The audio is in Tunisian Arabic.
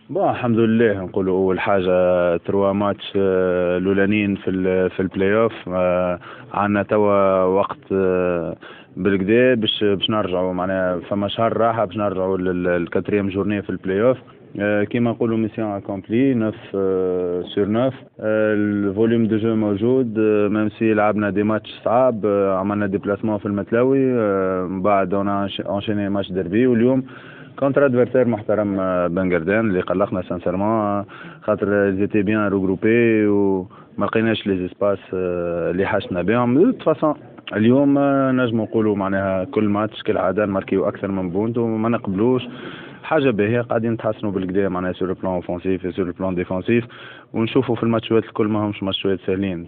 Bon، الحمد لله، نقولوا اول حاجة trois matchs الاولانيين في البلاي اوف. عندنا توا وقت بالقدا باش نرجعوا، معناها فما شهر راحة باش نرجعوا لل quatrième journée في البلاي اوف. كيما نقولوا mission accomplie، 9 sur 9. ال volume de jeu موجود même si لعبنا des matchs صعاب. عملنا déplacement في المتلوي، من بعد on a enchaîné match derby، واليوم contre adversaire محترم بنجردان اللي قلقنا sincèrement خاطر ils étaient bien regroupés وما لقيناش les espaces اللي حاجتنا بهم. de toute façon اليوم نجم نقولوا معناها كل ماتش كالعادة نماركيو اكثر من but وما نقبلوش، حاجة باهيه. قاعدين نتحسنوا بالقدا معناها sur le plan offensif، sur le plan défensif، ونشوفوا في الماتشات الكل ما همش ماتشات سهلين.